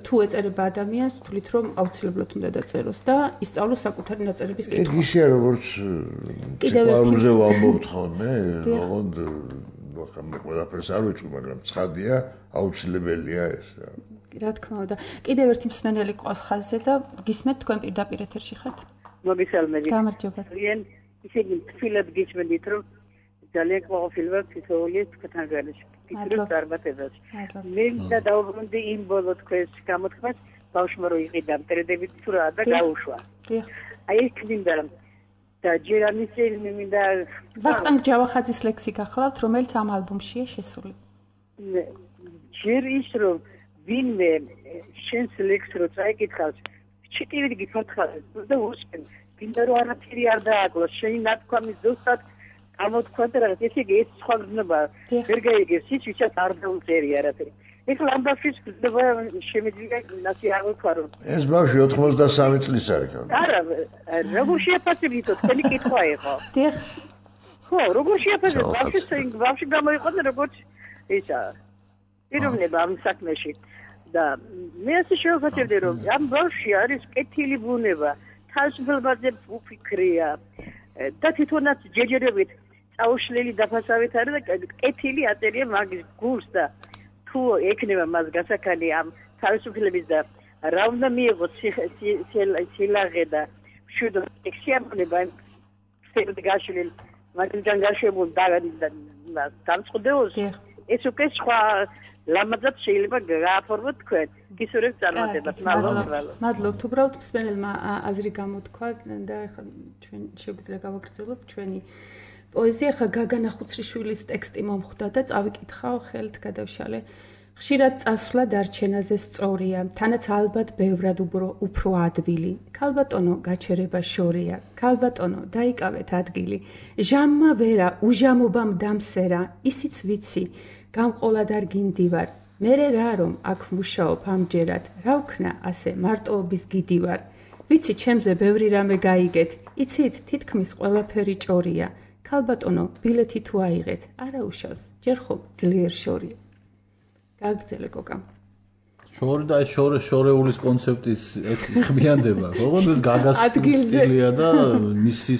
თუ ეწერება ადამიანს, თვლით რომ აუცილებლად უნდა დაწეროს და ისწავლოს საკუთარი ნაწერების კითხვა.
ეგ ისეა როგორც ციკლაურზე ვამბობთ ხოლმე, ოღონდ ახლა ყველაფერს არ ვიწყო, მაგრამ ცხადია, აუცილებელია ეს.
რა თქმა უნდა. კიდევ ერთი მსმენელი ყავს ხაზზე და გისმენთ თქვენ პირდაპირ ეთერში ხართ?
მოგესალმებით.
გამარჯობა.
ძალიან ისეთი თბილად გიჩვენით, რომ ძალიან ყოფილვარ ფსიქოლოგიის თქვენთან გარშემო. ფიქრობ დარბათებაში. მე და დაუბრუნდი იმ ბოლო თქვენს გამოთქმას, ბავშვმა რო იყიდა მტრედებით თუ რა და გაუშვა. აი ეს მინდა და ჯერ ამის მინდა
ვახტანგ ჯავახაძის ლექსი გახლავთ, რომელიც ამ ალბომშია შესული.
ჯერ ის რომ ვინმე შენს ლექსს რო წაიკითხავს, ჩიტივით გიფართხარ და უსმენ, მინდა რომ არაფერი არ დააკლოს, შენი ნათქვამი ზუსტად გამოთქვა და რაღაც ესე იგი ეს სხვა გზნობა ვერ გაიგებს, ის ვისაც არ დაუწერი არაფერი. ეხლა ამ ბავშვის გზნობა შემიძლია ნაცი არ ვთქვა რომ
ეს ბავშვი 93 წლის არის ხო?
არა, როგორ შეაფასებითო, თქვენი კითხვა იყო.
დიახ.
ხო, როგორ შეაფასებთ ბავშვი გამოიყო როგორც ისა პიროვნება ამ საქმეში. და მე ასე შევფასებდი რომ ამ ბავშვი არის კეთილი ბუნება, თავისუფლებაზე უფიქრია და თვითონაც ჯეჯერებით წაუშლილი დაფასავით არის და კეთილი აწერია მაგის გულს და თუ ექნება მას გასაქანი ამ თავისუფლების და რა უნდა მიიღოს სილაღე და მშვიდობა ექსიამონება სერდგაშლილ მაგიდან გაშვებულ დამწყდეოს ეს უკვე სხვა ლამაზად შეიძლება გააფორმოთ თქვენ გისურვებთ წარმატებას.
მადლობთ. უბრალოდ მსმენელმა აზრი გამოთქვა და ახლა ჩვენ შეგვიძლია გავაგრძელოთ ჩვენი პოეზია. ახლა გაგანა ხუცრიშვილის ტექსტი მომხვდა და წავიკითხავ, ხელით გადავშალე. ხშირად წასვლა დარჩენაზე სწორია, თანაც ალბათ ბევრად უფრო ადვილი. ქალბატონო, გაჩერება შორია. ქალბატონო, დაიკავეთ ადგილი. ჟამმა ვერა, უჟამობამ დამსერა, ისიც ვიცი. გამყოლად არ გინდივარ, მერე რა რომ აქ მუშაობ ამჯერად, რა ვქნა ასე მარტოობის გიდი ვარ. ვიცი ჩემზე ბევრი რამე გაიგეთ, იცით თითქმის ყველაფერი ჭორია. ქალბატონო, ბილეთი თუ აიღეთ, არა უშავს, ჯერ ხო ძლიერ შორია. გაგრძელე კოკა.
შორი და შორეულის კონცეფტის ეს ხმიანდება, ოღონდ ეს გაგას სტილია და მისი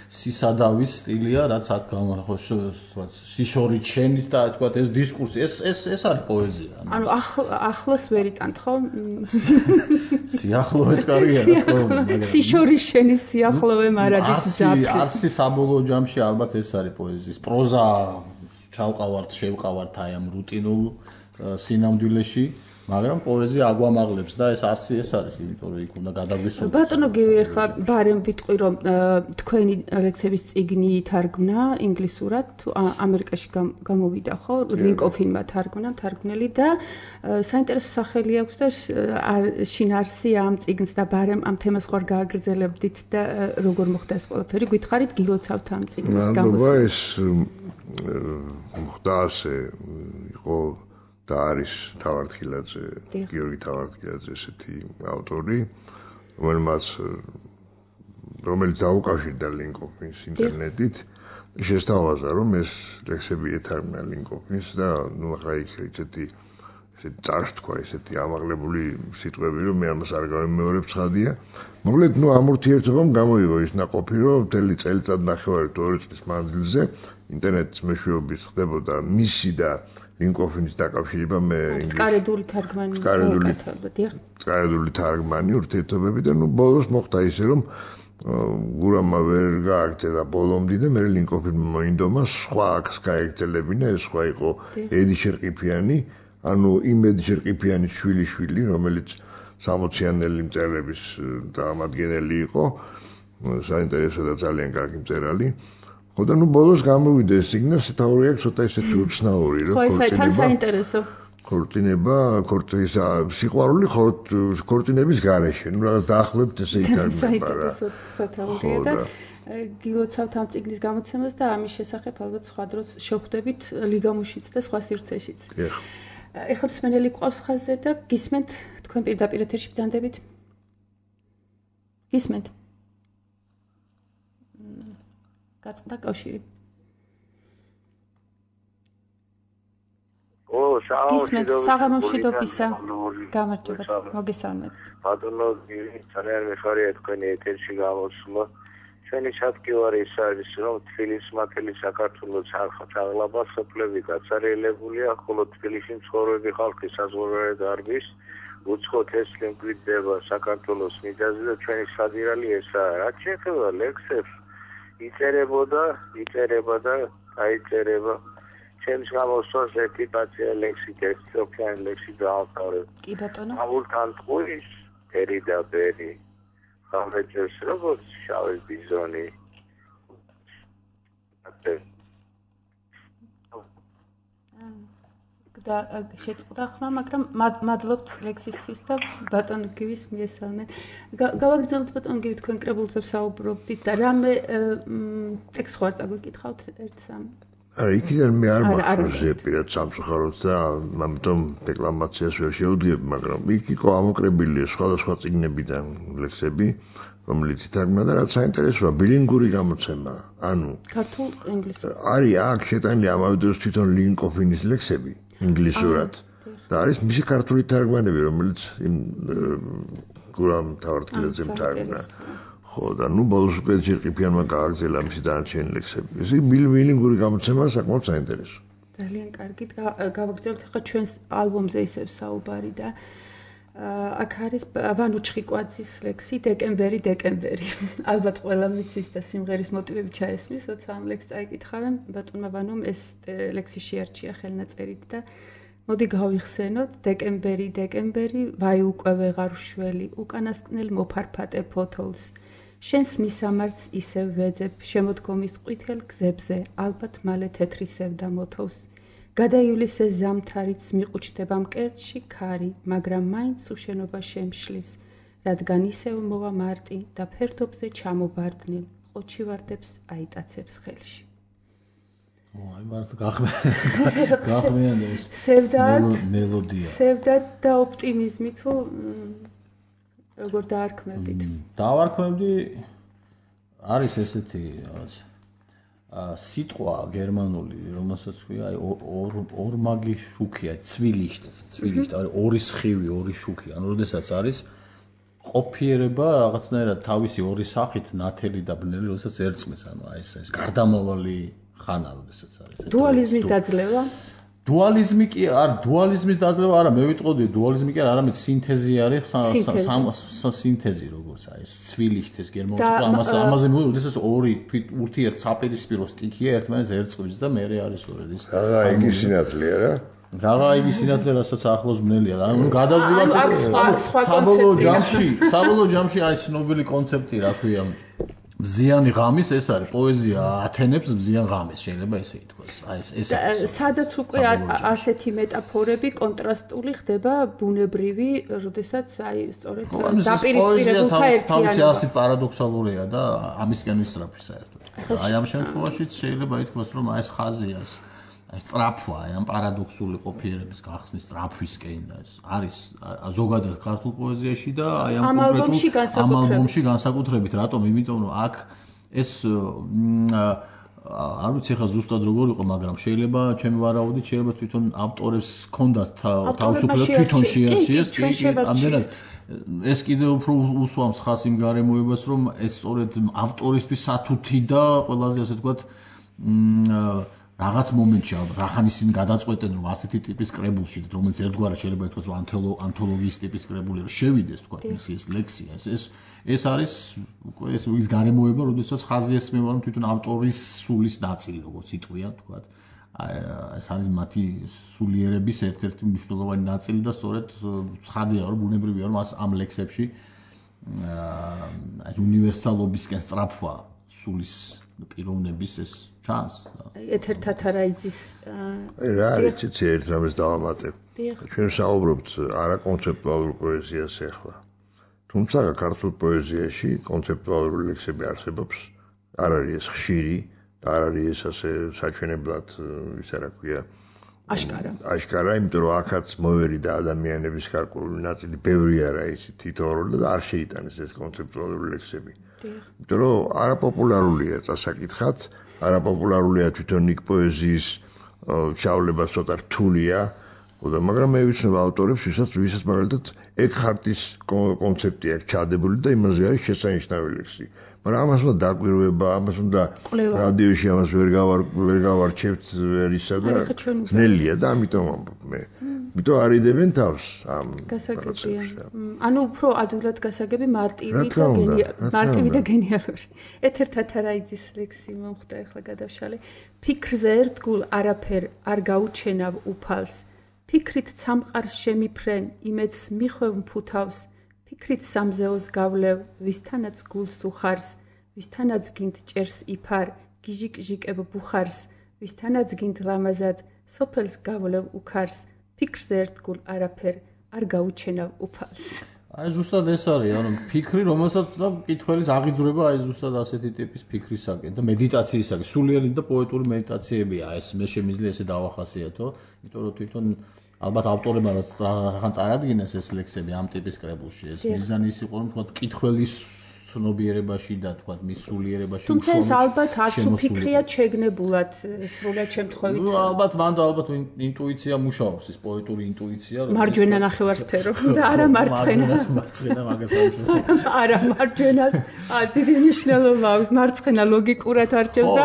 სისადავის სტილია, რაც აქ სიშორი ჩენის და თქვა ეს დისკურსი, ეს არის პოეზია.
ანუ ახლოს ვერიტანთ ხო?
სიახლოვეც კარგია რა თქმა უნდა, მაგრამ
სიშორის შენის სიახლოვე მარადის ძაფრი.
არსი საბოლოო ჯამში ალბათ ეს არის პოეზიის პროზა ჩავყავართ, შევყავართ აი ამ რუტინულ სინამდვილეში. მაგრამ პოეზია აგვამაღლებს და ეს არსი ეს არის, იმიტომ რომ იქ უნდა გადაგვისურვოს.
ბატონო გივი, ახლა ბარემ ვიტყვი რომ თქვენი ლექსების წიგნი ითარგმნა ინგლისურად, ამერიკაში გამოვიდა ხო? ლინკოფინმა თარგმნელი და საინტერესო სახელი აქვს და შინარსია ამ წიგნს და ბარემ ამ თემას ხوار გააგრძელებდით და როგორ მოხდა ეს ყველაფერი? გითხარით გილოცავთ ამ წიგნის
გამოსვლას. ეს მოხდა ასე, იყო და არის თავართხილაძე, გიორგი თავართხილაძე ესეთი ავტორი, რომელიც დაუკავშირდა ლინკოფინს ინტერნეტით. შესთავაზა რომ ეს ლექსები ეთარგმნა ლინკოფინს და ნუ ახლა იქ ესეთი წარსთქვა, ესეთი ამაღლებული სიტყვები, რომ მე ამას არ გავემეორებ ცხადია. მოკლედ, ნუ ამ ურთიერთობამ გამოიღო ის ნაყოფი, რომ მთელი წელიწად ნახევარი 2 წლის მანძილზე ინტერნეტის მეშვეობით ხდებოდა მისი და ლინკოფინის დაკავშირება მე
წყარედული თარგმანი
ურთიერთობები და ნუ ბოლოს მოხდა ისე რომ გურამმა ვერ გააგრძელა ბოლომდე და მე ლინკოფინმა მოინდომა სხვა აქს გაეგრძელებინა ეს სხვა იყო ედი შერყიფიანი ანუ იმ ედი შერყიფიანის შვილი რომელიც 60-იანელი მწერლების წარმომადგენელი იყო საინტერესო და ძალიან კარგი მწერალი ხო და ნუ ბოლოს გამოვიდა ეს სიგნა სათაური აქვს ცოტა ისეთი უცნაური რომ ქორწინება სიყვარული ქორწინების გარეშე ნუ რაღაც დაახლოებით ესე ითარგმნება რა
სათაურია და გილოცავთ ამ წიგნის გამოცემას და ამის შესახებ ალბათ სხვა დროს შევხვდებით ლიგამუშიც და სხვა სივრცეშიც ეხლა მსმენელი ყავს ხაზზე და გისმენთ თქვენ პირდაპირ ეთერში ბრძანდებით გისმენთ გაწყდა კავშირი საღამომშვიდობისა გამარჯობა მოგესალმებით
ბატონო ძალიან მიხარია თქვენი ეთერში გამოსვლა ჩვენი ჩათქივარი ის არის რომ თბილისის მათელი საქართველოს აღლაბა სოფლები გაცარიელებულია ხოლო თბილისში მცხოვრები ხალხი საზღვარგარეთ არბის უცხო თესლი მკვიდრდება საქართველოს მიწაზე და ჩვენი სადირალი ესაა რაც შეეხება ლექსებს იწერება და აიწერება ჩემს გამოსვლას ერთი პაცია ლექსი ერთოფიანი ლექსი დაავთავრებ
კი ბატონო
ამულთან ტყუის ერი და ბერი ხამეჭერს როგორც შავი ბიზონი
და შეწყდა ხმა მაგრამ მადლობთ ლექსისთვის და ბატონო გივის მიესალმეთ გავაგრძელოთ ბატონო გივი თქვენ კრებულზე საუბრობდით და რამე ტექსტს ხარ წაგვიკითხავთ ერთ-სამ
იქიდან მე არ მახსოვს პირად სამწუხაროდ და ამიტომ დეკლამაციას ვერ შევდგებ, მაგრამ იქ იყო ამოკრებილი სხვადასხვა წიგნებიდან ლექსები, რომელიც ითარგმნა და რაც საინტერესოა, ბილინგური გამოცემა, ანუ
ქართულ ინგლისურ.
არის აქ შეტანილი ამავე დროს თვითონ ლინკოფინის ლექსები ინგლისურად და არის მისი ქართული თარგმანები, რომელიც გურამ თავარტკილაძემ თარგმნა. ხო და ნუ ბოლოს უკვე ჯერყიფიანმა გააგრძელა მისი დანარჩენი ლექსები. ეს ბილინგური გამოცემა საკმაოდ საინტერესო.
ძალიან კარგი. გავაგრძელებთ ახლა ჩვენს ალბომზე ისევ საუბარი და აქ არის ვანო ჩხიკვაძის ლექსი დეკემბერი. ალბათ ყველა მიცის და სიმღერის მოტივები ჩაესმის, როცა ამ ლექსს წაიკითხავენ. ბატონმა ვანომ ეს ლექსი შეარჩია ხელნაწერით და მოდი გავიხსენოთ დეკემბერი, ვაი უკვე ვეღარ ვშველი, უკანასკნელ მოფარფატე ფოთოლს. შენს მისამართს ისევ ვეძებ, შემოდგომის ყვითელ გზებზე, ალბათ მალე თეთრი სევდა მოთოვს. გადაივლისე ზამთარიც მიყუჩდება მკერდში ქარი, მაგრამ მაინც უშენობა შემშლის, რადგან ისევ მოვა მარტი და ფერდობზე ჩამობარდნილ, ყოჩი ვარდებს აიტაცებს ხელში.
აი მარტო გახმიანდა ეს მელოდია.
სევდად და ოპტიმიზმი თუ როგორ დაარქმევდით?
დავარქმევდი არის ესეთი რაღაც სიტყვა გერმანული, რომელსაც ქვია ორმაგი შუქია, ცვილიშტ, არის ორი სხივი, ორი შუქი. ანუ როდესაც არის ყოფიერება რაღაცნაირად თავისი ორი სახით ნათელი და ბნელი, როდესაც ერწყმის, ანუ აი ეს გარდამავალი ხანა, როდესაც არის.
დუალიზმის დაძლევა?
დუალიზმის დაძლევა არა, მე ვიტყოდი დუალიზმი კი არა, არამედ სინთეზი არის, სინთეზი როგორც აი ეს ცვილიშტ ეს გერმანულ ამაზე მოვიდა, როდესაც ორი ურთიერთ საპირისპირო სტიქია ერთმანეთს ერწყმის და მერე არის სწორედ ის.
იგი სინათლეა რა.
იგი სინათლე რასაც ახლოს ბნელია. ანუ გადავდივართ საბოლოო ჯამში აი ცნობილი კონცეფტი რა ქვია მზიანი ღამის ეს არის პოეზია ათენებს მზიან ღამის შეიძლება ესე ითქვას აი ეს
სადაც უკვე ასეთი მეტაფორები კონტრასტული ხდება ბუნებრივი როდესაც აი სწორედ დაპირისპირებულთა ერთიანობა
თავისი ასი პარადოქსალურია და ამისკენ ვისწრაფი საერთოდ აი ამ შემთხვევაშიც შეიძლება ითქვას რომ აი ეს ხაზია სწრაფვა აი ამ პარადოქსული ყოფიერების გახსნის სწრაფვისკენ არის ზოგადად ქართულ პოეზიაში და აი ამ ალბომში განსაკუთრებით რატომ იმიტომ რომ აქ ეს არ ვიცი ხა ზუსტად როგორ იყო მაგრამ შეიძლება ჩემი ვარაუდით შეიძლება თვითონ ავტორებს ჰქონდათ თავისუფლება თვითონ შეარჩიეს ამდენად ეს კიდევ უფრო უსვამს ხას იმ გარემოებას რომ ეს სწორედ ავტორისთვის სათუთი და ყველაზე ასე ვთქვათ რაღაც მომენტში რახან ისინი გადაწყვეტენ რომ ასეთი ტიპის კრებულში რომელიც ერთგვარად შეიძლება ითქვას რომ ანთოლოგიის ტიპის კრებული რომ შევიდეს თქვა მისი ეს ლექსია ეს არის უკვე ის გარემოება როდესაც ხაზი ესმევა რომ თვითონ ავტორის სულის ნაწილი როგორც იტყვიან თქვა ეს არის მათი სულიერების ერთ-ერთი მნიშვნელოვანი ნაწილი და სწორედ ცხადია რომ ბუნებრივია რომ ამ ლექსებში აი უნივერსალობისკენ სწრაფვა სულის პიროვნების ეს ჩანს.
ეთერ თათარაიძის
რა არის ერთ რამეს დავამატებ. ჩვენ საუბრობთ არა კონცეპტუალურ პოეზიას ახლა. თუმცა ქართულ პოეზიაში კონცეპტუალური ლექსები არსებობს. არ არის ეს ხშირი და არ არის ეს ასე საჩვენებლად ისა რა ქვია აშკარა, იმიტომ რომ აქაც მოერიდა ადამიანების გარკვეული ნაწილი, ბევრი არა ისი თითოეული და არ შეიტანეს ეს კონცეპტუალური ლექსები. იმიტომ რომ არაპოპულარულია წასაკითხად, არაპოპულარულია თვითონ იქ პოეზიის ჩავლება ცოტა რთულია, მაგრამ მე ვიცნობ ავტორებს, ვისაც მაგალითად ეკჰარტის კონცეფტი აქვს ჩადებული და იმაზე არის შესანიშნავი ლექსი. მაგრამ ამას უნდა დაკვირვება, ამას უნდა რადიოში ამას ვერ გავარჩევთ ვერისა და ძნელია და ამიტომ ამბობ მე. იმიტომ არიდებენ თავს ამ
გასაგებია. ანუ უფრო ადვილად გასაგები მარტივი და გენიალური. ეთერ თათარაიძის ლექსი მომხდა ახლა გადავშალე. ფიქრზე ერთგულ არაფერ არ გაუჩენავ უფალს. ფიქრით ცამყარს შემიფრენ, იმედს მიხვევ მფუთავს. ფიქრით სამზეოს გავლევ, ვისთანაც გულს უხარს, ვისთანაც გინდ ჭერს იფარ, გიჟიკ-ჟიკებ ბუხარს, ვისთანაც გინდ ლამაზად, სოფელს გავლევ უკარს, ფიქრზე ერთგულ არაფერ არ გაუჩენავ უფალს.
აი ზუსტად ეს არის, ანუ ფიქრი, რომელსაც და მკითხველის აღიძვრება აი ზუსტად ასეთი ტიპის ფიქრისაკენ და მედიტაციისაკენ, სულიერი და პოეტური მედიტაციებია ეს, მე შემიძლია ესე დავახასიათო, იმიტომ რომ თვითონ ალბათ ავტორებმა რაღაც წარადგინეს ეს ლექსები ამ ტიპის კრებულში. ეს მიზანი ის იყო, რომ თქვა მკითხველის ცნობიერებაში და თქვა მის სულიერებაში.
თუმცა ეს ალბათ არც უფიქრიათ შეგნებულად სრულად შემთხვევით.
ნუ ალბათ ინტუიცია მუშაობს, ეს პოეტური ინტუიცია.
მარჯვენა ნახევარსფერო და არა მარცხენა.
მარცხენა მაგას ამუშავებს.
არა მარჯვენას დიდი მნიშვნელობა აქვს, მარცხენა ლოგიკურად არჩევს და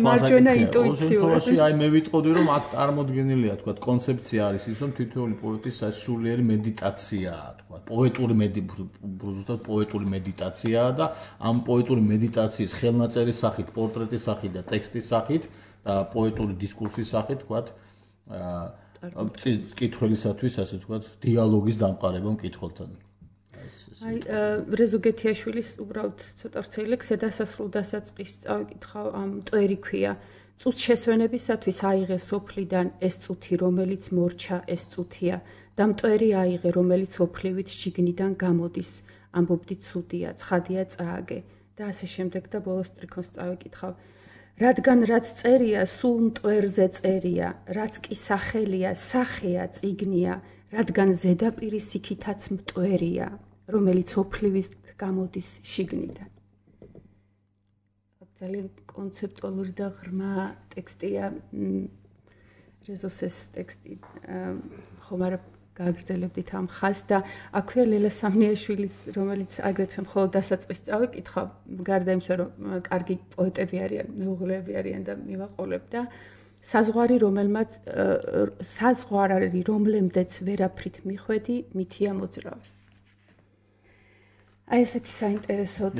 მარჯვენა ინტუიციურად.
აი მე ვიტყოდი რომ აქ წარმოდგენილია თქვა კონცეფცია არის ის რომ თითოეული პოეტის სულიერი მედიტაციაა თქვა პოეტური მედიტაცია და ამ პოეტური მედიტაციის ხელნაწერის სახით, პორტრეტის სახით და ტექსტის სახით და პოეტური დისკურსის სახით, თქვათ, მკითხველისათვის, ასე თქვათ, დიალოგის დამყარება მკითხველთან.
აი, რეზო გეთიაშვილის უბრალოდ ცოტა ვრცელი ლექსი დასასრულ დასაწყისს წავიკითხავ, ამ მტვერი ქვია. წუთ შესვენებისათვის აიღე სოფლიდან ეს წუთი, რომელიც მორჩა, ეს წუთია და მტვერი აიღე, რომელიც ოფლივით შიგნიდან გამოდის. ამბობდი ცუდია, ცხადია წააგე და ასე შემდეგ და ბოლოს ტრიქონს წავიკითხავ. რადგან რაც წერია, სულ მტვერზე წერია, რაც კი სახელია, სახეა, წიგნია, რადგან ზედაპირი სიქითაც მტვერია, რომელიც ოფლივით გამოდის შიგნიდან. ძალიან კონცეპტუალური და ღრმა ტექსტია. რეზოს ეს ტექსტი ხომ არა გააგრძელებდით ამ ხაზს და აქვეა ლელა სამნიაშვილის, რომელიც აგრეთვე მხოლოდ დასაწყისს წავიკითხავ, გარდა იმისა, რომ კარგი პოეტები არიან, მეუღლეები არიან და მივაყოლებ და საზღვარი, რომელმაც საზღვარი, რომლემდეც ვერაფრით მიხვედი, მითია მოძრავი. აი ესეთი საინტერესო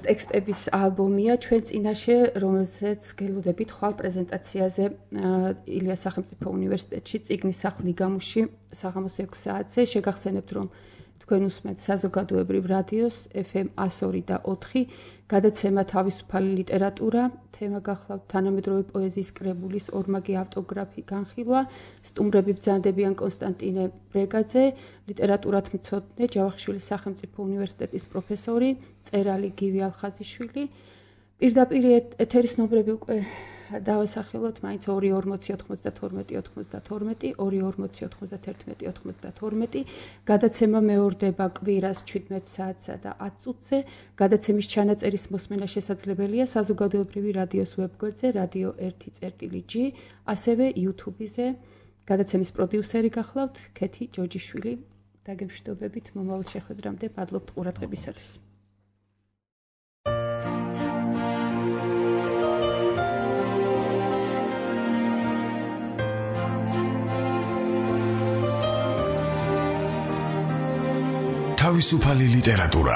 ტექსტების ალბომია ჩვენ წინაშე, რომელზეც გელოდებით ხვალ პრეზენტაციაზე ილიას სახელმწიფო უნივერსიტეტში წიგნის სახლი გამუში საღამოს 6 საათზე შეგახსენებთ, რომ თქვენ უსმენთ საზოგადოებრივ რადიოს FM 102 და 4 გადაცემა თავისუფალი ლიტერატურა, თემა გახლავთ თანამედროვე პოეზიის კრებულის ორმაგი ავტოგრაფი განხილვა, სტუმრები ბრძანდებიან კონსტანტინე ბრეგაძე, ლიტერატურათმცოდნე, ჯავახიშვილის სახელმწიფო უნივერსიტეტის პროფესორი, მწერალი გივი ალხაზიშვილი. პირდაპირ ეთერის ნომრები უკვე დავასახელოთ, მაინც 24092 24091 გადაცემა მეორდება კვირას 17 საათსა და 10 წუთზე. გადაცემის ჩანაწერის მოსმენა შესაძლებელია საზოგადოებრივი რადიოს ვებგვერდზე radio1.g, ასევე YouTube-ზე. გადაცემის პროდიუსერი გახლავთ ქეთი ჯოჯიშვილი. დაგემშვიდობებით მომავალ შეხვედრამდე, მადლობთ ყურადღებისათვის.
თავისუფალი ლიტერატურა